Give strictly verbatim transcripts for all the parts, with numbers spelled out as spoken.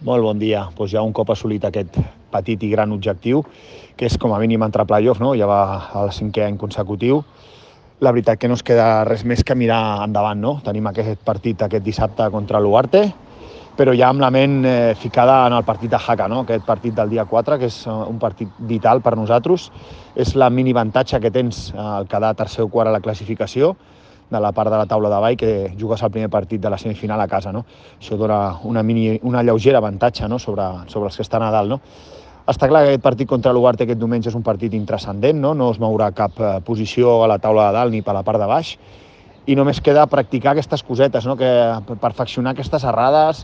Molt bon dia. Doncs ja un cop assolit aquest petit i gran objectiu, que és com a mínim entrar a playoff, no? Ja va al cinquè any consecutiu. La veritat que no es queda res més que mirar endavant, no? Tenim aquest partit aquest dissabte contra l'Uarte, però ja amb la ment eh, ficada en el partit de Jaca, no? Aquest partit del dia quatre, que és un partit vital per nosaltres. És la mini avantatge que tens al quedar tercer o quart a la classificació, de la part de la taula de baix, que jugues el primer partit de la semifinal a casa, no? Això dona una, mini, una lleugera avantatge, no? sobre, sobre els que estan a dalt, no? Està clar que aquest partit contra l'Uarte aquest diumenge és un partit intranscendent, no? No es mourà cap eh, posició a la taula de dalt ni per la part de baix, i només queda practicar aquestes cosetes, no? Que perfeccionar aquestes errades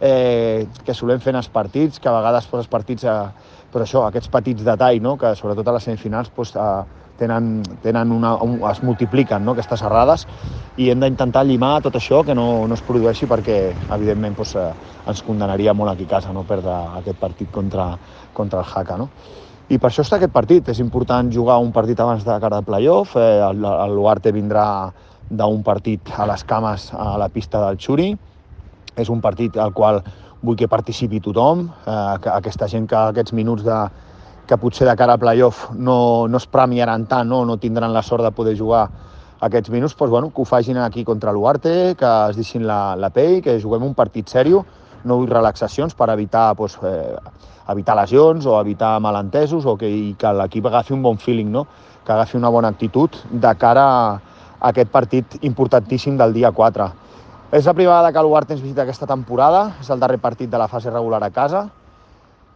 eh, que solem fer en els partits, que a vegades pues, els partits, eh, però això, aquests petits detalls, no? Que sobretot a les semifinals pues, eh, tenen, tenen una, un, es multipliquen, no? Aquestes errades, i hem d'intentar llimar tot això, que no, no es produeixi, perquè evidentment pues, eh, ens condemnaria molt aquí a casa, no? Perdre aquest partit contra, contra el Jaca, no? I per això està aquest partit. És important jugar un partit abans de cara de playoff. Eh, L'Uarte vindrà d'un partit a les cames a la pista del Xuri. És un partit al qual vull que participi tothom, eh, que aquesta gent que aquests minuts de, que potser de cara a playoff no, no es premiaran tant, no, no tindran la sort de poder jugar aquests minuts, doncs, bueno, que ho facin aquí contra l'Uarte, que es deixin la, la pell, que juguem un partit seriós, no vull relaxacions per evitar, doncs, eh, evitar lesions o evitar malentesos, o que, que l'equip agafi un bon feeling, no? Que agafi una bona actitud de cara a aquest partit importantíssim del dia quatre. És la primera vegada que l'Uarte ens visita aquesta temporada, és el darrer partit de la fase regular a casa,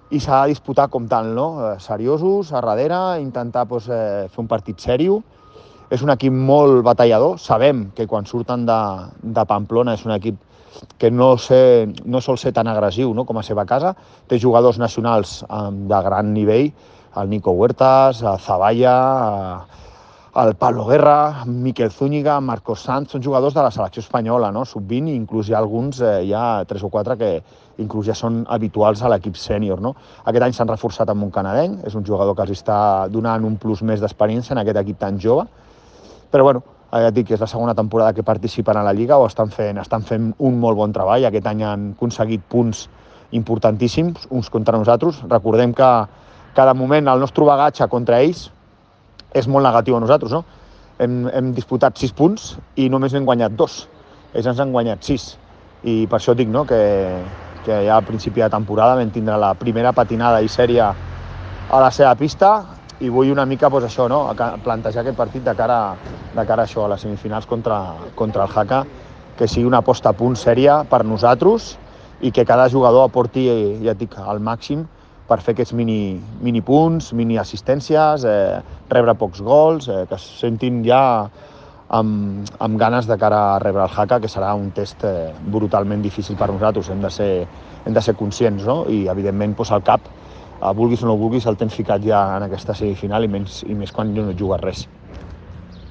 i s'ha de disputar com tal, no? Seriosos, a darrere, intentar doncs, eh, fer un partit seriós. És un equip molt batallador. Sabem que quan surten de, de Pamplona és un equip que no, sé, no sol ser tan agressiu, no? Com a seva casa. Té jugadors nacionals eh, de gran nivell, el Nico Huertas, el Zavalla, el Pablo Guerra, Miquel Zúñiga, Marcos Sanz, són jugadors de la selecció espanyola, no? sub vint, i inclús hi ha alguns, eh, hi ha tres o quatre que inclús ja són habituals a l'equip sènior, no? Aquest any s'han reforçat amb un canadenc, és un jugador que els està donant un plus més d'experiència en aquest equip tan jove, però bueno, ja et dic que és la segona temporada que participen a la Lliga, o estan fent, estan fent un molt bon treball. Aquest any han aconseguit punts importantíssims, uns contra nosaltres. Recordem que cada moment el nostre bagatge contra ells és molt negatiu a nosaltres, no? Hem, hem disputat sis punts i només n'hem guanyat dos. Ells ens han guanyat sis. I per això dic, no?, que, que ja al principi de temporada vam tindre la primera patinada i sèria a la seva pista, i vull una mica pues, això, no? Plantejar aquest partit de cara, de cara a això, a les semifinals contra, contra el Jaca, que sigui una posta a punt sèria per nosaltres i que cada jugador aporti, ja et dic, al màxim per fer aquests mini, mini punts, mini assistències, eh, rebre pocs gols, eh, que es sentin ja amb, amb ganes de cara a rebre el Jaca, que serà un test eh, brutalment difícil per nosaltres. Hem de ser, hem de ser conscients, no? I evidentment pues, al cap, vulguis o no vulguis, el tens ficat ja en aquesta semifinal, i, menys, i més quan no jugues res.